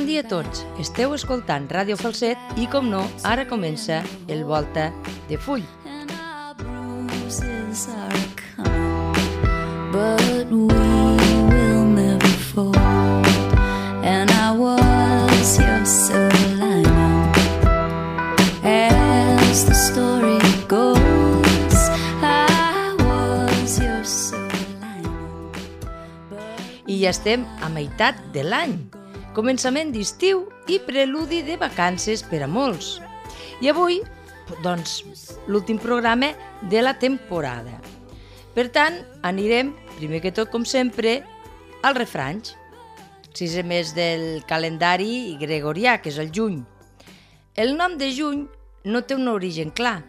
bon dia a tots. Esteu escoltant Ràdio Falset i, com no, ara comença el Volta de Full. But we will never fall, and I was your silver lining. As the story goes, I was your silver lining. I ja estem a meitat de l'any, començament d'estiu i preludi de vacances per a molts. I avui, doncs, l'últim programa de la temporada. Per tant, anirem, primer que tot, com sempre, als refranys. Sisè mes del calendari gregorià, que és el juny. El nom de juny no té un origen clar.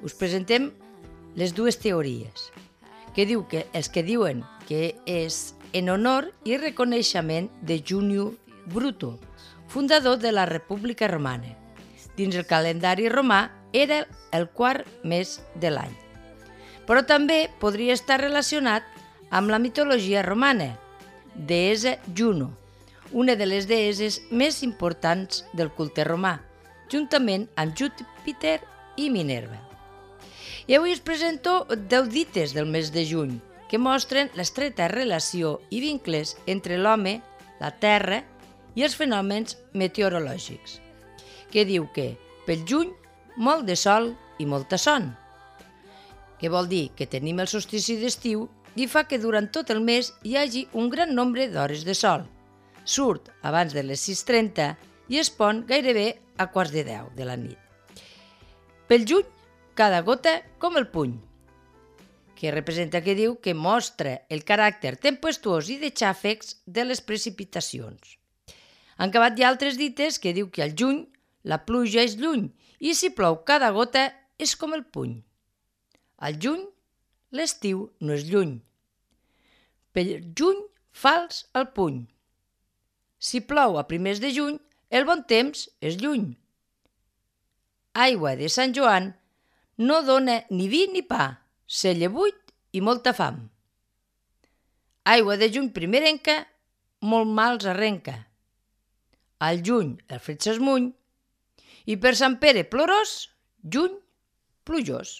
Us presentem les dues teories, que diu que els que diuen que és en honor i reconeixement de Juni Bruto, fundador de la República Romana. Dins el calendari romà era el quart mes de l'any. Però també podria estar relacionat amb la mitologia romana, deessa Juno, una de les deesses més importants del culte romà, juntament amb Júpiter i Minerva. I avui us presento 10 dites del mes de juny, que mostren l'estreta relació i vincles entre l'home, la terra i els fenòmens meteorològics, que diu que, pel juny, molt de sol i molta son, que vol dir que tenim el solstici d'estiu i fa que durant tot el mes hi hagi un gran nombre d'hores de sol. Surt abans de les 6:30 i es pon gairebé a 9:45 de la nit. Pel juny, cada gota com el puny, que representa, que diu, que mostra el caràcter tempestuós i de xàfecs de les precipitacions. Han acabat ja altres dites que diu que al juny la pluja és lluny i si plou cada gota és com el puny. Al juny, l'estiu no és lluny. Pel juny, fals al puny. Si plou a primers de juny, el bon temps és lluny. Aigua de Sant Joan no dona ni vi ni pa, celler buit i molta fam. Aigua de juny primerenca, molt mals arrenca. Al juny el fred s'esmuny i per Sant Pere plorós, juny plujós.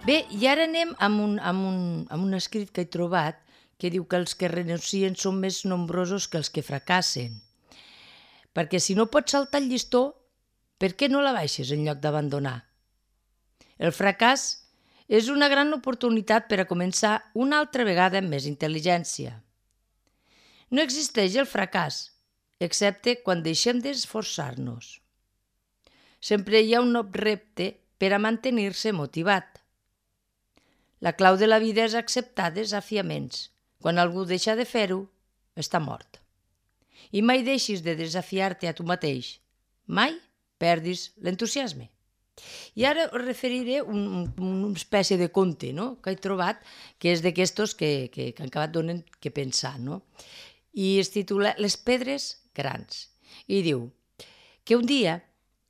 Bé, i ara anem amb un escrit que he trobat que diu que els que renuncien són més nombrosos que els que fracassen. Perquè si no pots saltar el llistó, per què no la baixes en lloc d'abandonar? El fracàs és una gran oportunitat per a començar una altra vegada amb més intel·ligència. No existeix el fracàs, excepte quan deixem d'esforçar-nos. Sempre hi ha un nou repte per a mantenir-se motivat. La clau de la vida és acceptar desafiaments. Quan algú deixa de fer-ho, està mort. I mai deixis de desafiar-te a tu mateix. Mai perdis l'entusiasme. I ara us referiré una espècie de conte, no?, que he trobat, que és d'aquestos que han acabat donant que pensar, no? I es titula Les pedres grans. I diu que un dia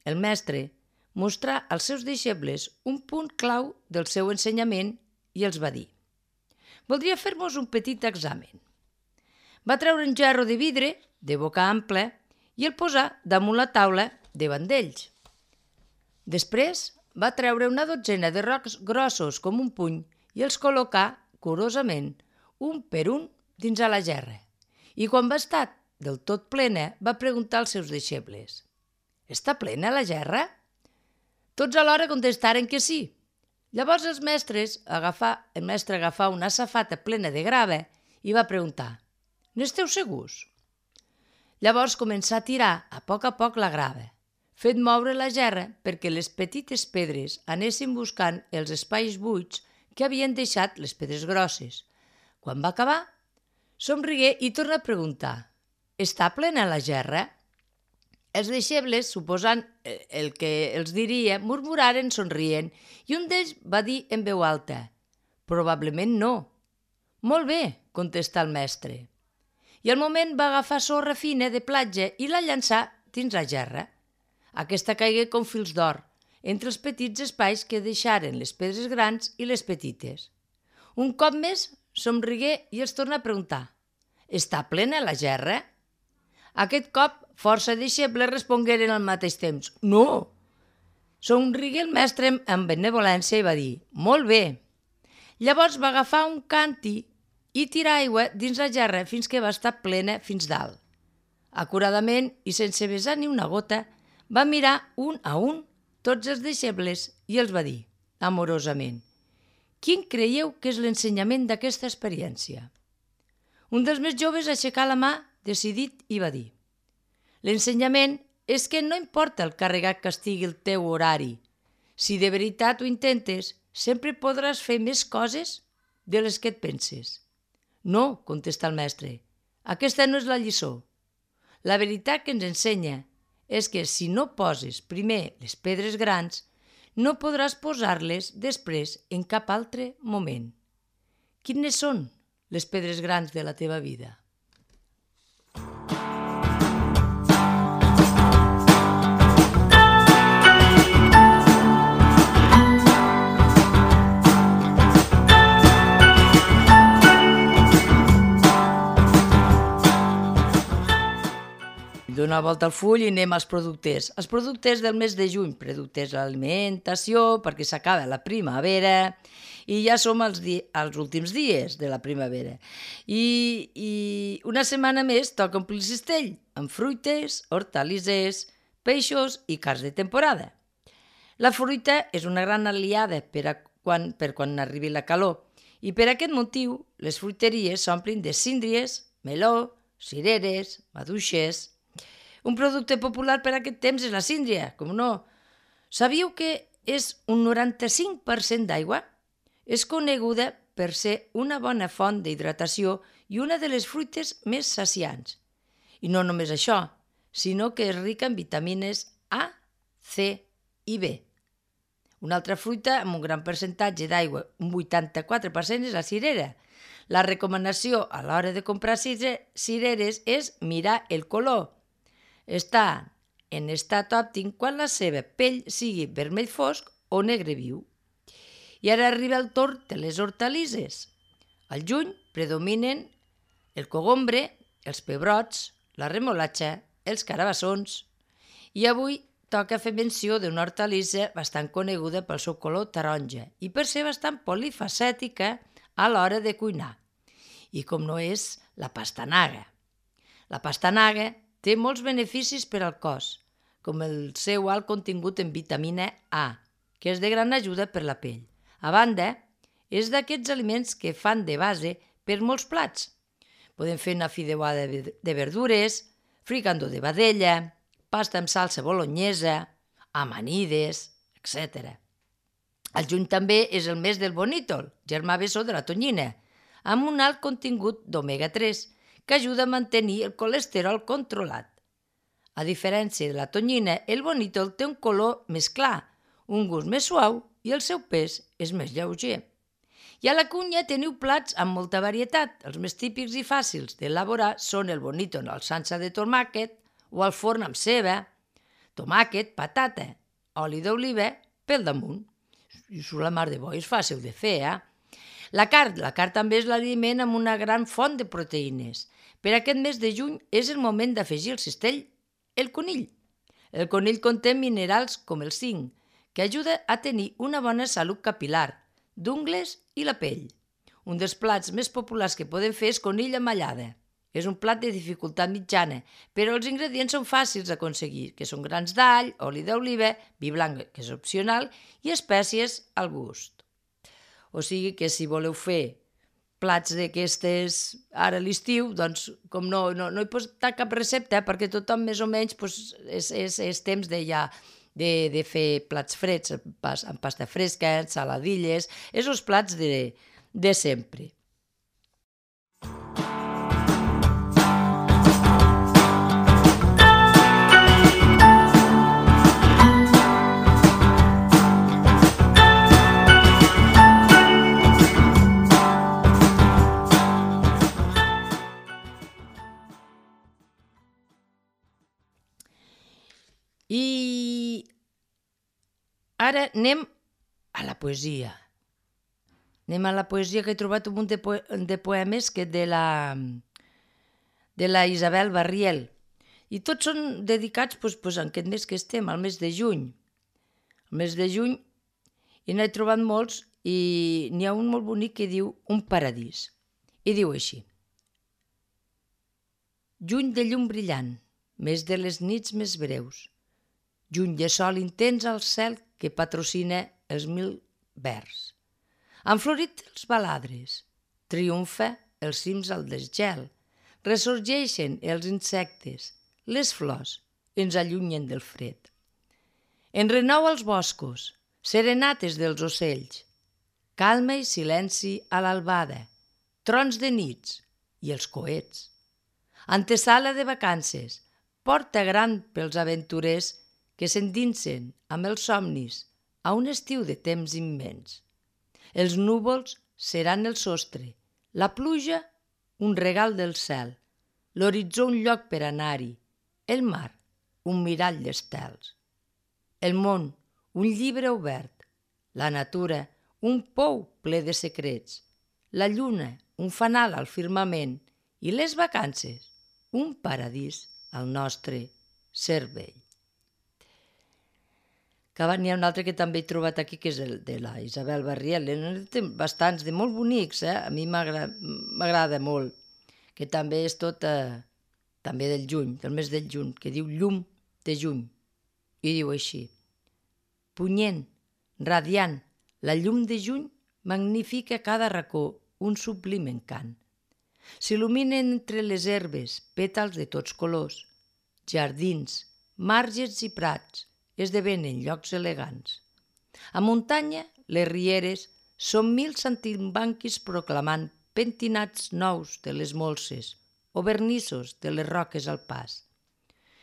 el mestre mostrà als seus deixebles un punt clau del seu ensenyament i els va dir: «Voldria fer-vos un petit examen». Va treure un gerro de vidre de boca ampla i el posà damunt la taula davant d'ells. Després va treure una dotzena de rocs grossos com un puny i els col·locà curosament, un per un, dins a la gerra. I quan va estar del tot plena, va preguntar als seus deixebles: «Està plena la gerra?» Tots alhora contestaren que sí. Llavors el mestre agafà una safata plena de grava i va preguntar: «N'esteu segurs?» Llavors començà a tirar a poc la grava, fent moure la gerra perquè les petites pedres anessin buscant els espais buits que havien deixat les pedres grosses. Quan va acabar, somrigué i torna a preguntar: «Està plena la gerra?» Els deixebles, suposant el que els diria, murmuraren somrient i un d'ells va dir en veu alta: «Probablement no». «Molt bé», contestà el mestre. i al moment va agafar sorra fina de platja i la llançà dins la gerra. Aquesta caigué com fils d'or, entre els petits espais que deixaren les pedres grans i les petites. Un cop més somrigué i els torna a preguntar: «Està plena la gerra?» Aquest cop força deixebles respongueren al mateix temps: «No!» Somrigué el mestre amb benevolència i va dir: «Molt bé». Llavors va agafar un càntir i tirar aigua dins la gerra fins que va estar plena fins dalt. Acuradament i sense vessar ni una gota, va mirar un a un tots els deixebles i els va dir, amorosament: «Quin creieu que és l'ensenyament d'aquesta experiència?» Un dels més joves aixecà la mà, decidit, i va dir: «L'ensenyament és que no importa el carregat que estigui el teu horari. Si de veritat ho intentes, sempre podràs fer més coses de les que et penses». «No», contesta el mestre, «aquesta no és la lliçó. La veritat que ens ensenya és que si no poses primer les pedres grans, no podràs posar-les després en cap altre moment. Quines són les pedres grans de la teva vida?» Donar volta al full i anem als productes. Els productes del mes de juny, productes d'alimentació, perquè s'acaba la primavera i ja som als últims dies de la primavera. I una setmana més toca omplir el cistell amb fruites, hortalisses, peixos i carns de temporada. La fruita és una gran aliada per quan arribi la calor i per aquest motiu les fruiteries s'omplin de síndries, meló, cireres, maduixes. Un producte popular per aquest temps és la síndria, com no. Sabíeu que és un 95% d'aigua? És coneguda per ser una bona font d'hidratació i una de les fruites més saciants. I no només això, sinó que és rica en vitamines A, C i B. Una altra fruita amb un gran percentatge d'aigua, un 84%, és la cirera. La recomanació a l'hora de comprar cireres és mirar el color. Està en estat òptim quan la seva pell sigui vermell fosc o negre viu. I ara arriba el torn de les hortalisses. Al juny predominen el cogombre, els pebrots, la remolatxa, els carabassons. I avui toca fer menció d'una hortalissa bastant coneguda pel seu color taronja i per ser bastant polifacètica a l'hora de cuinar. I com no és la pastanaga. La pastanaga té molts beneficis per al cos, com el seu alt contingut en vitamina A, que és de gran ajuda per la pell. A banda, és d'aquests aliments que fan de base per molts plats. Podem fer una fideuada de verdures, fricandó de vedella, pasta amb salsa bolognesa, amanides, etc. El juny també és el mes del bonítol, germà bessó de la tonyina, amb un alt contingut d'omega-3, que ajuda a mantenir el colesterol controlat. A diferència de la tonyina, el bonítol té un color més clar, un gust més suau i el seu pes és més lleuger. I a la cuina teniu plats amb molta varietat. Els més típics i fàcils d'elaborar són el bonítol al salsa de tomàquet o al forn amb ceba, tomàquet, patata, oli d'oliva pel damunt. I la mar de bo, és fàcil de fer, La carn també és l'aliment amb una gran font de proteïnes. Per aquest mes de juny és el moment d'afegir al cistell el conill. El conill conté minerals com el zinc, que ajuda a tenir una bona salut capil·lar, d'ungles i la pell. Un dels plats més populars que podem fer és conill amb allada. És un plat de dificultat mitjana, però els ingredients són fàcils d'aconseguir, que són grans d'all, oli d'oliva, vi blanc, que és opcional, i espècies al gust. O sigui que si voleu fer plats d'aquestes ara a l'estiu, doncs com no he posat cap recepta perquè tothom més o menys és temps de fer plats freds, amb pasta fresca, saladilles, és els plats de sempre. Ara anem a la poesia. Anem a la poesia, que he trobat un munt de poemes que de la Isabel Barriel. I tots són dedicats en aquest mes que estem, al mes de juny. Al mes de juny i n'he trobat molts i n'hi ha un molt bonic que diu Un paradís. I diu així: Juny de llum brillant, mes de les nits més breus, juny de sol intens al cel que patrocina els 1000 vers. Han florit els baladres, triomfa els cims al desgel, ressorgeixen els insectes, les flors ens allunyen del fred. En renou als boscos, serenates dels ocells, calma i silenci a l'albada, trons de nits i els coets. Antesala de vacances, porta gran pels aventurers que s'endinsen amb els somnis a un estiu de temps immens. Els núvols seran el sostre, la pluja un regal del cel, l'horitzó un lloc per anar-hi, el mar un mirall d'estels. El món un llibre obert, la natura un pou ple de secrets, la lluna un fanal al firmament i les vacances un paradís al nostre cervell. N'hi ha un altre que també he trobat aquí, que és el de la Isabel Barriel. Té bastants, de molt bonics, a mi m'agrada molt, que també és tot també del juny, del mes del juny, que diu Llum de juny, i diu així: Punyent, radiant, la llum de juny magnifica cada racó un sublim encant. S'il·luminen entre les herbes pètals de tots colors, jardins, marges i prats esdevenen llocs elegants. A muntanya, les rieres són 1000 saltimbanquis proclamant pentinats nous de les molses o vernissos de les roques al pas.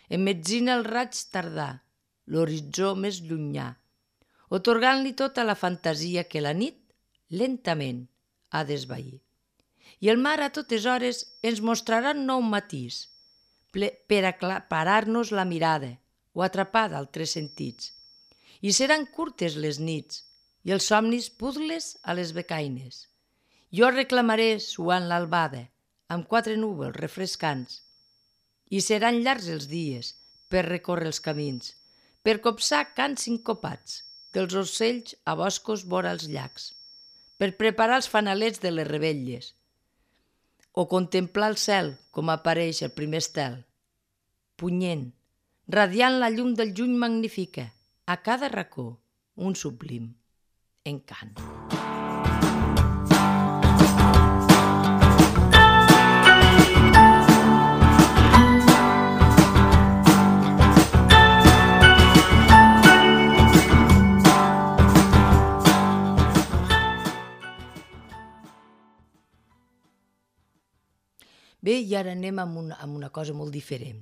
Emmetzina el raig tardà, l'horitzó més llunyà, otorgant-li tota la fantasia que la nit lentament ha d'esvair. I el mar a totes hores ens mostrarà un nou matís per aclaparar-nos la mirada o atrapar d'altres sentits. I seran curtes les nits i els somnis pudles a les becaines. Jo reclamaré suant l'albada amb 4 núvols refrescants i seran llargs els dies per recórrer els camins, per copsar cants sincopats dels ocells a boscos vora els llacs, per preparar els fanalets de les revetlles o contemplar el cel com apareix el primer estel. Punyent, radiant la llum del juny magnifica, a cada racó un sublim encant. Bé, i ara anem amb una cosa molt diferent,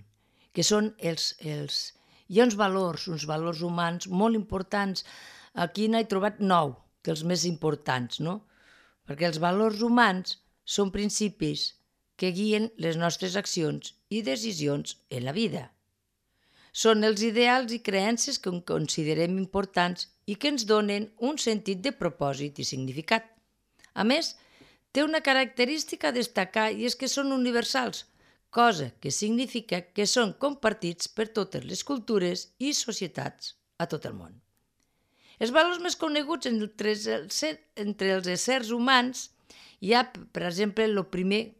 que són hi ha uns valors humans molt importants. Aquí n'he trobat 9 dels més importants, no? Perquè els valors humans són principis que guien les nostres accions i decisions en la vida. Són els ideals i creences que considerem importants i que ens donen un sentit de propòsit i significat. A més, té una característica a destacar i és que són universals, cosa que significa que són compartits per totes les cultures i societats a tot el món. Els valors més coneguts entre els éssers humans hi ha, per exemple, el primer,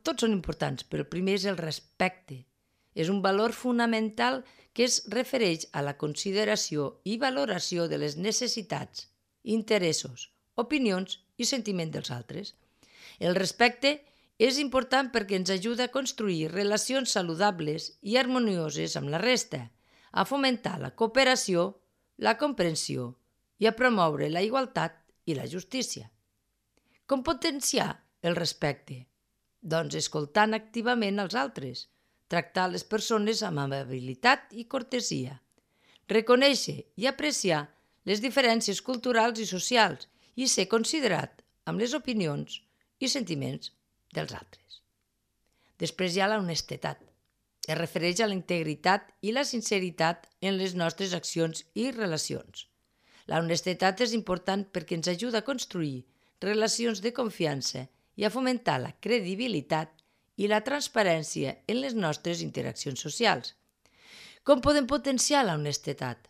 tots són importants, però el primer és el respecte. És un valor fonamental que es refereix a la consideració i valoració de les necessitats, interessos, opinions i sentiments dels altres. El respecte és important perquè ens ajuda a construir relacions saludables i harmonioses amb la resta, a fomentar la cooperació, la comprensió i a promoure la igualtat i la justícia. Com potenciar el respecte? Doncs escoltant activament els altres, tractar les persones amb amabilitat i cortesia, reconèixer i apreciar les diferències culturals i socials i ser considerat amb les opinions i sentiments dels altres. Després hi ha la honestedat. Es refereix a la integritat i la sinceritat en les nostres accions i relacions. La honestedat és important perquè ens ajuda a construir relacions de confiança i a fomentar la credibilitat i la transparència en les nostres interaccions socials. Com podem potenciar la honestedat?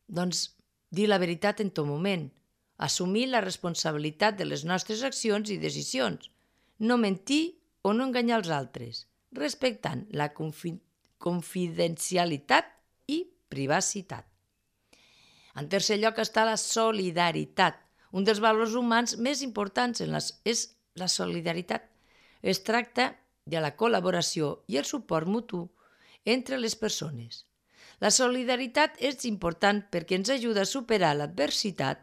Doncs dir la veritat en tot moment, assumir la responsabilitat de les nostres accions i decisions, no mentir o no enganyar els altres, respectant la confidencialitat i privacitat. En tercer lloc està la solidaritat. Un dels valors humans més importants és la solidaritat. Es tracta de la col·laboració i el suport mutu entre les persones. La solidaritat és important perquè ens ajuda a superar l'adversitat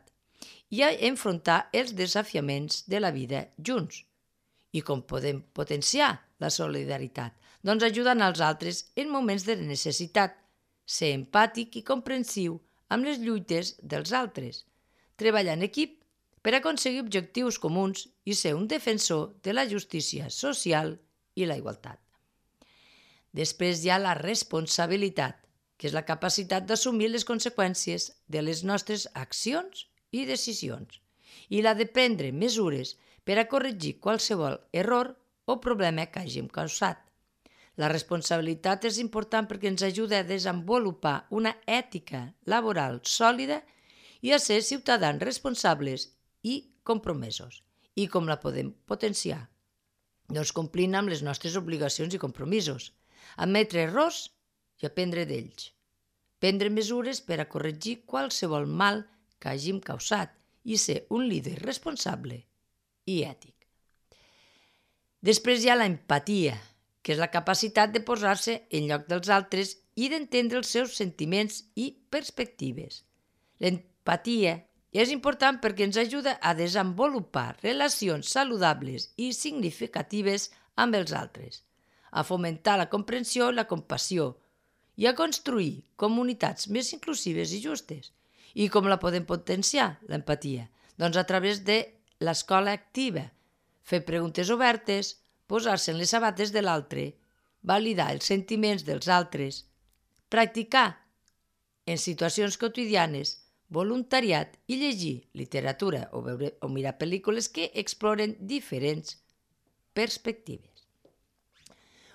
i a enfrontar els desafiaments de la vida junts. I com podem potenciar la solidaritat? Doncs ajudant als altres en moments de necessitat, ser empàtic i comprensiu amb les lluites dels altres, treballar en equip per aconseguir objectius comuns i ser un defensor de la justícia social i la igualtat. Després hi ha la responsabilitat, que és la capacitat d'assumir les conseqüències de les nostres accions i decisions, i la de prendre mesures per a corregir qualsevol error o problema que hàgim causat. La responsabilitat és important perquè ens ajuda a desenvolupar una ètica laboral sòlida i a ser ciutadans responsables i compromesos. I com la podem potenciar? Doncs complint amb les nostres obligacions i compromisos, admetre errors i aprendre d'ells, prendre mesures per a corregir qualsevol mal que hàgim causat i ser un líder responsable i ètic. Després hi ha l'empatia, que és la capacitat de posar-se en lloc dels altres i d'entendre els seus sentiments i perspectives. L'empatia és important perquè ens ajuda a desenvolupar relacions saludables i significatives amb els altres, a fomentar la comprensió i la compassió i a construir comunitats més inclusives i justes. I com la podem potenciar, l'empatia? Doncs a través de l'escola activa, fer preguntes obertes, posar-se en les sabates de l'altre, validar els sentiments dels altres, practicar en situacions quotidianes voluntariat i llegir literatura o mirar pel·lícules que exploren diferents perspectives.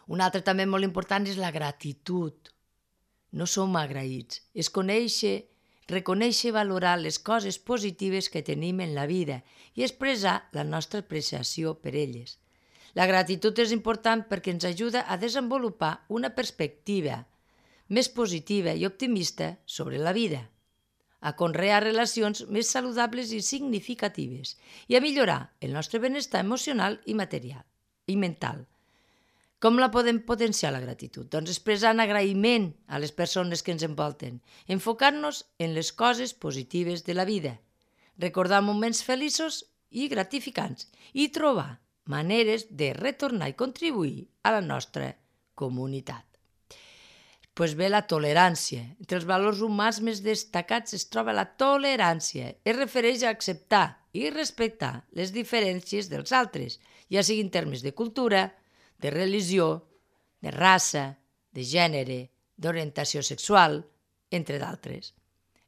Un altre també molt important és la gratitud. No som agraïts, és reconèixer i valorar les coses positives que tenim en la vida i expressar la nostra apreciació per elles. La gratitud és important perquè ens ajuda a desenvolupar una perspectiva més positiva i optimista sobre la vida, a conrear relacions més saludables i significatives i a millorar el nostre benestar emocional i material i mental. Com la podem potenciar, la gratitud? Doncs expressant agraïment a les persones que ens envolten, enfocant-nos en les coses positives de la vida, recordar moments feliços i gratificants i trobar maneres de retornar i contribuir a la nostra comunitat. Doncs bé, la tolerància. Entre els valors humans més destacats es troba la tolerància. Es refereix a acceptar i respectar les diferències dels altres, ja sigui en termes de cultura, de religió, de raça, de gènere, d'orientació sexual, entre d'altres.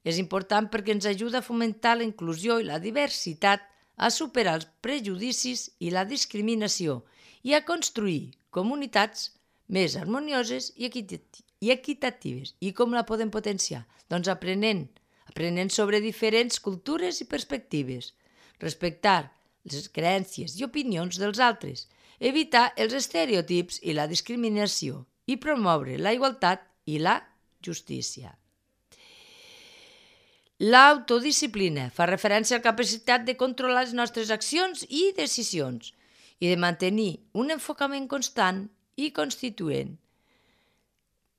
És important perquè ens ajuda a fomentar la inclusió i la diversitat, a superar els prejudicis i la discriminació i a construir comunitats més harmonioses i equitatives. I com la podem potenciar? Doncs aprenent sobre diferents cultures i perspectives, respectar les creences i opinions dels altres, evitar els estereotips i la discriminació i promoure la igualtat i la justícia. L'autodisciplina fa referència a la capacitat de controlar les nostres accions i decisions i de mantenir un enfocament constant i constituent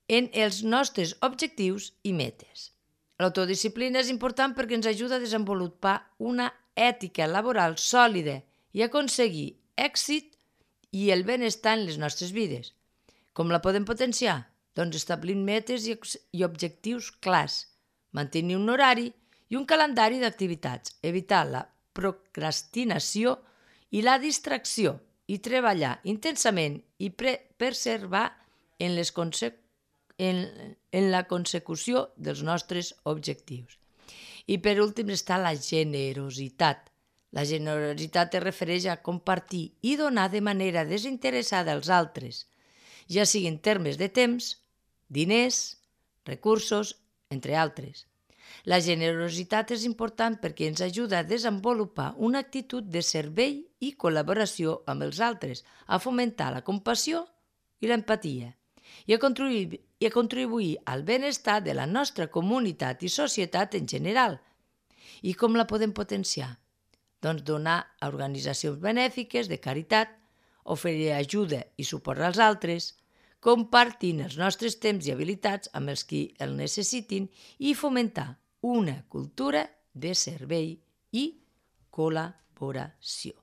en els nostres objectius i metes. L'autodisciplina és important perquè ens ajuda a desenvolupar una ètica laboral sòlida i aconseguir èxit i el benestar en les nostres vides. Com la podem potenciar? Doncs establint metes i objectius clars, mantenir un horari i un calendari d'activitats, evitar la procrastinació i la distracció i treballar intensament i perseverar en la consecució dels nostres objectius. I per últim està la generositat. La generositat es refereix a compartir i donar de manera desinteressada als altres, ja sigui en termes de temps, diners, recursos, entre altres. La generositat és important perquè ens ajuda a desenvolupar una actitud de servei i col·laboració amb els altres, a fomentar la compassió i l'empatia i a contribuir al benestar de la nostra comunitat i societat en general. I com la podem potenciar? Doncs donar a organitzacions benèfiques de caritat, oferir ajuda i suport als altres, compartint els nostres temps i habilitats amb els qui el necessitin i fomentar una cultura de servei i col·laboració.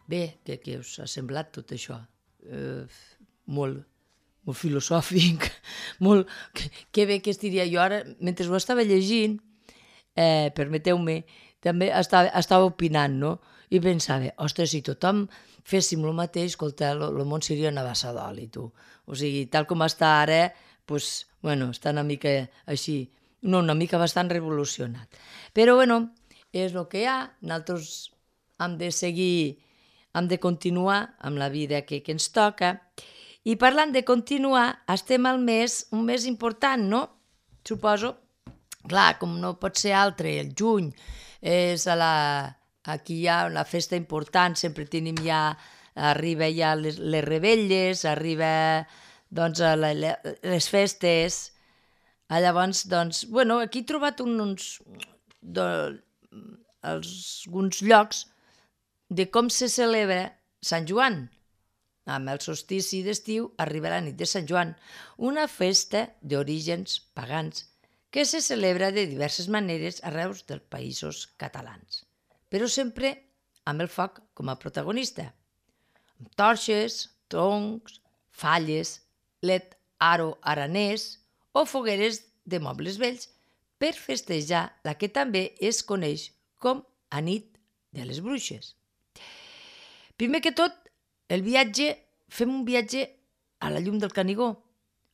Bé, què us ha semblat tot això? Molt filosòfic, molt... Que bé que estiria jo ara, mentre ho estava llegint, permeteu-me, també estava opinant, no? I pensava, ostres, si tothom féssim el mateix, escolta, el món seria una bassa d'oli, tu. O sigui, tal com està ara, doncs, bueno, està una mica així, no, una mica bastant revolucionat. Però, bueno, és el que hi ha, nosaltres hem de seguir, hem de continuar amb la vida que ens toca. I parlant de continuar, estem al mes, un mes important, no? Suposo, clar, com no pot ser altre, el juny, és aquí hi ha una festa important, sempre tenim arriba ja les revetlles, arriba doncs les festes. Llavors, doncs, bueno, aquí he trobat alguns llocs de com se celebra Sant Joan. Amb el solstici d'estiu arriba la nit de Sant Joan, una festa d'orígens pagans que se celebra de diverses maneres arreu dels països catalans, però sempre amb el foc com a protagonista, amb torxes, troncs, falles, let aro aranès o fogueres de mobles vells per festejar la que també es coneix com a nit de les bruixes. Primer que tot, fem un viatge a la llum del Canigó,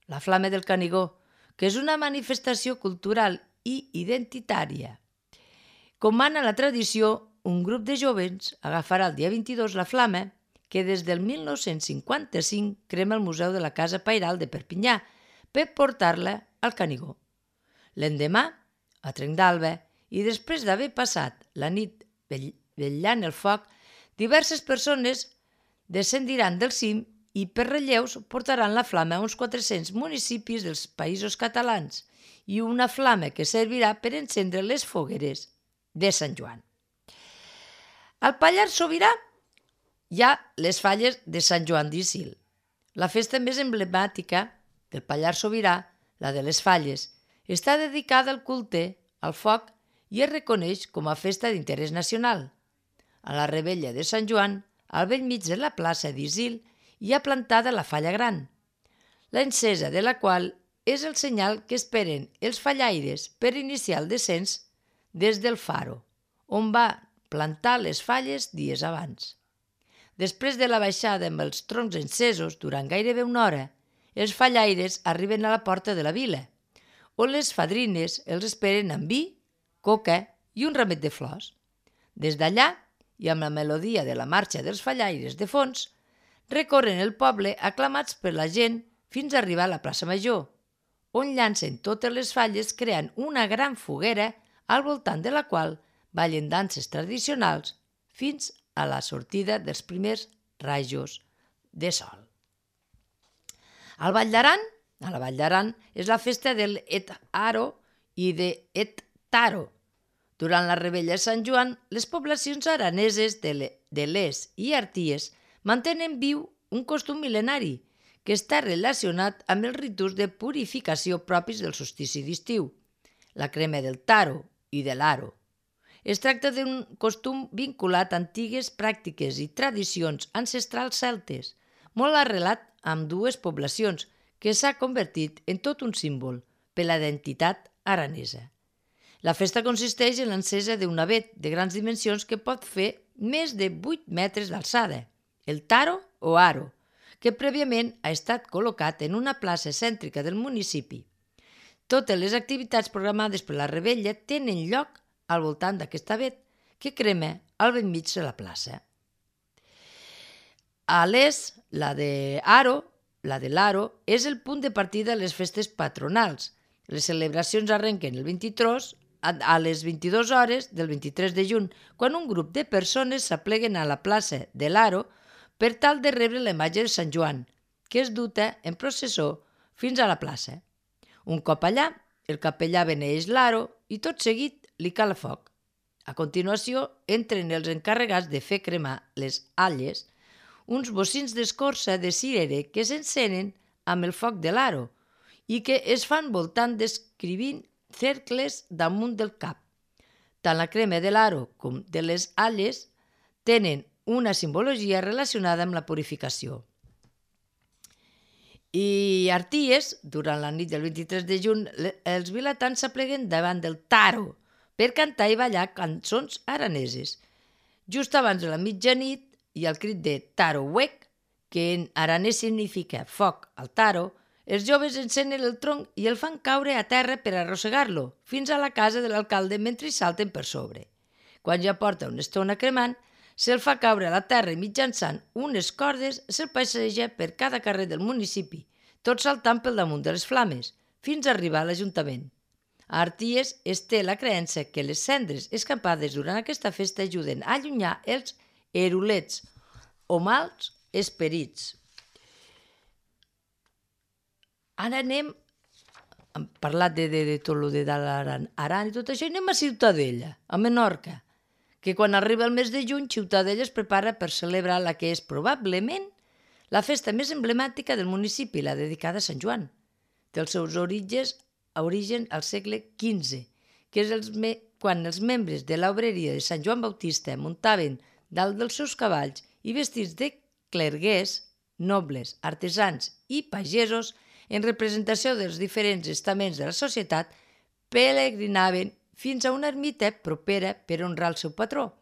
la Flama del Canigó, que és una manifestació cultural i identitària. Com mana la tradició, un grup de jovens agafarà el dia 22 la flama que des del 1955 crema el Museu de la Casa Pairal de Perpinyà per portar-la al Canigó. L'endemà, a Trenc d'Alba, i després d'haver passat la nit vetllant el foc, diverses persones descendiran del cim i per relleus portaran la flama a uns 400 municipis dels països catalans i una flama que servirà per encendre les fogueres de Sant Joan. Al Pallars Sobirà hi ha les falles de Sant Joan d'Isil. La festa més emblemàtica del Pallars Sobirà, la de les falles, està dedicada al culte, al foc i es reconeix com a festa d'interès nacional. A la revetlla de Sant Joan, al bell mig de la plaça d'Isil, hi ha plantada la falla gran, l'encesa de la qual és el senyal que esperen els fallaires per iniciar el descens des del faro, on va plantar les falles dies abans. Després de la baixada amb els troncs encesos durant gairebé una hora, els fallaires arriben a la porta de la vila, on les fadrines els esperen amb vi, coca i un ramet de flors. Des d'allà, i amb la melodia de la marxa dels fallaires de fons, recorren el poble aclamats per la gent fins a arribar a la plaça Major, on llancen totes les falles creant una gran foguera al voltant de la qual ballen danses tradicionals fins a la sortida dels primers rajos de sol. A la Vall d'Aran és la festa del Et Aro i de Et Taro. Durant la revetlla de Sant Joan, les poblacions araneses de Les i Arties mantenen viu un costum mil·lenari que està relacionat amb els ritus de purificació propis del solstici d'estiu, la crema del taro i de l'aro. Es tracta d'un costum vinculat a antigues pràctiques i tradicions ancestrals celtes, molt arrelat amb dues poblacions que s'ha convertit en tot un símbol per la identitat aranesa. La festa consisteix en l'encesa d'un avet de grans dimensions que pot fer més de 8 metres d'alçada, el taro o aro, que prèviament ha estat col·locat en una plaça cèntrica del municipi. Totes les activitats programades per la revetlla tenen lloc al voltant d'aquest avet que crema al bell mig de la plaça. A l'est, la de l'Aro, és el punt de partida de les festes patronals. Les celebracions arrenquen el 23 a les 22 hores del 23 de juny, quan un grup de persones s'apleguen a la plaça de l'Aro per tal de rebre la imatge de Sant Joan, que es duta en processó fins a la plaça. Un cop allà, el capellà beneeix l'Aro i tot seguit li cala foc. A continuació, entren els encarregats de fer cremar les alles, uns bocins d'escorça de cirere que s'encenen amb el foc de l'Aro i que es fan voltant descrivint cercles damunt del cap. Tant la crema de l'Aro com de les alles tenen una simbologia relacionada amb la purificació. I a Arties, durant la nit del 23 de juny, els vilatans s'apleguen davant del taro per cantar i ballar cançons araneses. Just abans de la mitjanit i al crit de taro huec, que en aranès significa foc al taro, els joves encenen el tronc i el fan caure a terra per arrossegar-lo fins a la casa de l'alcalde mentre hi salten per sobre. Quan ja porta una estona cremant, se'l fa caure a la terra i mitjançant unes cordes se'l passeja per cada carrer del municipi, tot saltant pel damunt de les flames, fins a arribar a l'Ajuntament. A Arties es té la creença que les cendres escampades durant aquesta festa ajuden a allunyar els erulets o mals esperits. Ara hem parlat de tot el de l'Aran i tot això, i anem a Ciutadella, a Menorca, que quan arriba el mes de juny, Ciutadella es prepara per celebrar la que és probablement la festa més emblemàtica del municipi, la dedicada a Sant Joan. Té els seus origen al segle XV, que és quan els membres de l'obreria de Sant Joan Bautista muntaven dalt dels seus cavalls i vestits de clerguers, nobles, artesans i pagesos, en representació dels diferents estaments de la societat, peregrinaven fins a una ermita propera per honrar el seu patró.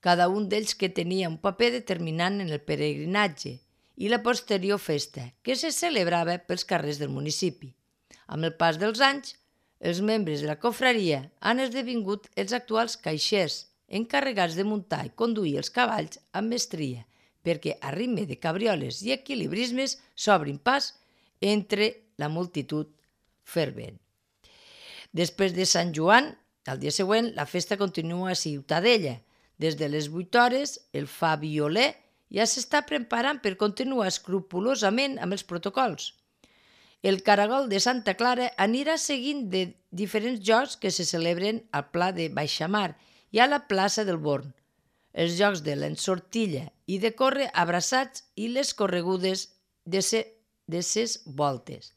Cada un d'ells que tenia un paper determinant en el peregrinatge i la posterior festa, que se celebrava pels carrers del municipi. Amb el pas dels anys, els membres de la confraria han esdevingut els actuals caixers, encarregats de muntar i conduir els cavalls amb mestria, perquè a ritme de cabrioles i equilibrismes s'obrin pas entre la multitud fervent. Després de Sant Joan, al dia següent, la festa continua a Ciutadella. Des de les 8 hores, el fa violer ja s'està preparant per continuar escrupolosament amb els protocols. El caragol de Santa Clara anirà seguint de diferents jocs que se celebren al Pla de Baixamar i a la plaça del Born, els jocs de l'ensortilla i de córrer abraçats i les corregudes de ses voltes.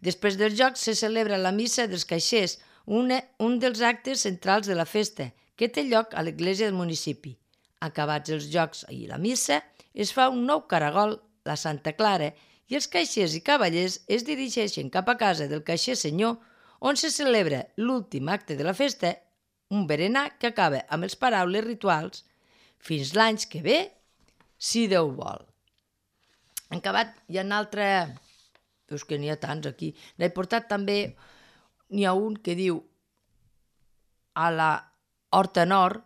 Després dels jocs se celebra la missa dels caixers, un dels actes centrals de la festa, que té lloc a l'església del municipi. Acabats els jocs i la missa, es fa un nou caragol, la Santa Clara, i els caixers i cavallers es dirigeixen cap a casa del caixer senyor, on se celebra l'últim acte de la festa, un berenar que acaba amb les paraules rituals «Fins l'any que ve, si Déu vol». En acabat, hi ha un altre... És que n'hi ha tants aquí. N'he portat també... N'hi ha un que diu a la Horta Nord,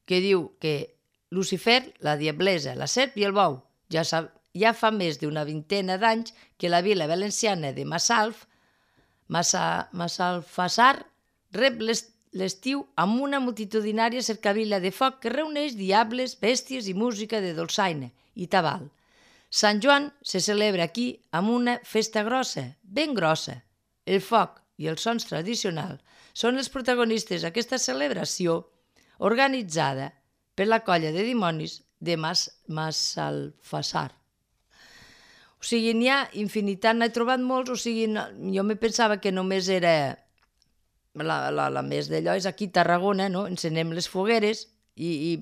que diu que Lucifer, la diablesa, la serp i el bou. Ja fa més d'una vintena d'anys que la vila valenciana de Massalfassar rep l'estiu amb una multitudinària cercavila de foc que reuneix diables, bèsties i música de dolçaina i tabal. Sant Joan se celebra aquí amb una festa grossa, ben grossa. El foc i els sons tradicionals són els protagonistes d'aquesta celebració organitzada per la colla de dimonis de Massalfassar. O sigui, n'hi ha infinitat, n'he trobat molts, o sigui, jo me pensava que només era la més d'allò, és aquí a Tarragona, no? Encenem les fogueres i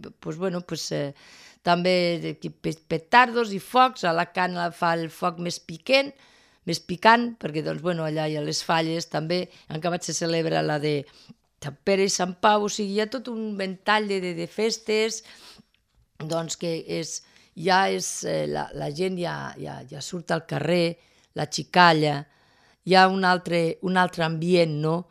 també petardos i focs, a Alacant fa el foc més piquent, més picant, perquè doncs, bueno, allà hi ha les falles també, en acabat se celebra la de Sant Pere i Sant Pau, o sigui, hi ha tot un ventall de festes, doncs que la gent ja surt al carrer, la xicalla, hi ha un altre ambient, no?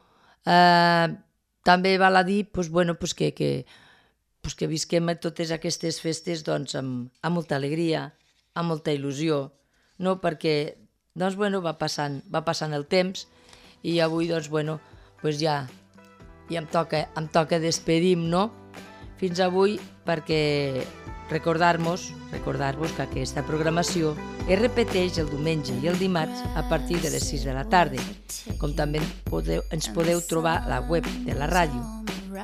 També val a dir que visquem totes aquestes festes doncs, amb molta alegria, amb molta il·lusió, no? Perquè doncs, va passant el temps i avui ja em toca despedir-me, no? Fins avui, perquè recordar-vos que aquesta programació es repeteix el diumenge i el dimarts a partir de les 6 de la tarda, com també ens podeu trobar a la web de la ràdio,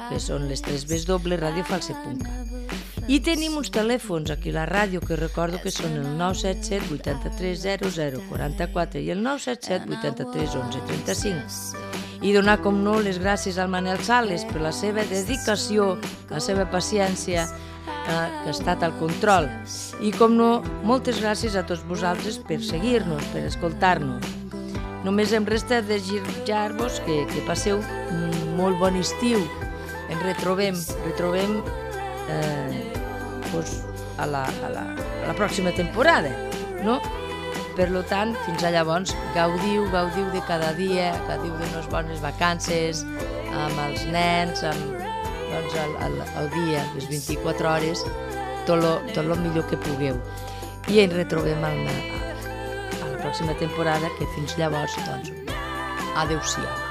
que són les 3 www.radiofalset.cat. I tenim uns telèfons aquí a la ràdio que recordo que són el 977 83 00 44 i el 977 83 11 35. I donar, com no, les gràcies al Manel Sales per la seva dedicació, la seva paciència, que ha estat al control. I, com no, moltes gràcies a tots vosaltres per seguir-nos, per escoltar-nos. Només em resta desitjar-vos que passeu un molt bon estiu. Ens retrobem a la pròxima temporada, no? Per tant, fins a llavors, gaudiu de cada dia, gaudiu d'unes bones vacances, amb els nens, el dia, les 24 hores, tot el millor que pugueu. I ens retrobem a la pròxima temporada, que fins llavors, adeu-siau.